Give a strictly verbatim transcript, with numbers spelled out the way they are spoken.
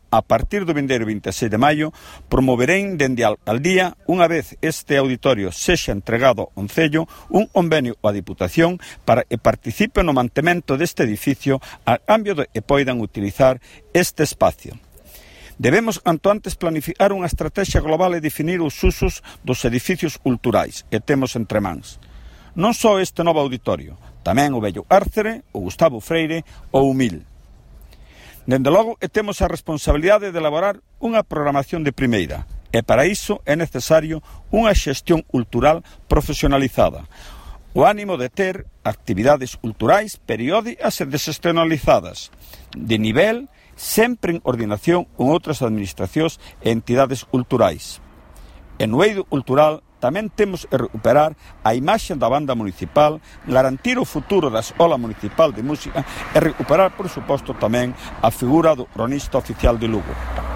a partir do vindeiro vinte e seis de maio, promoverén dende a alcaldía, unha vez este auditorio sexa entregado ao Concello, un convenio á Diputación para que participe no mantemento deste edificio a cambio de que poidan utilizar este espacio. Debemos, canto antes, planificar unha estrategia global e definir os usos dos edificios culturais que temos entre mans. Non só este novo auditorio, tamén o vello Árcere, o Gustavo Freire ou o Mil. Dende logo que temos a responsabilidade de elaborar unha programación de primeira e para iso é necesario unha xestión cultural profesionalizada, o ánimo de ter actividades culturais periódicas e desexternalizadas, de nivel, sempre en coordinación con outras administracións e entidades culturais. En o eido cultural tamén temos que recuperar a imaxe da banda municipal, garantir o futuro da Escola Municipal de Música e recuperar, por suposto, tamén a figura do cronista oficial de Lugo.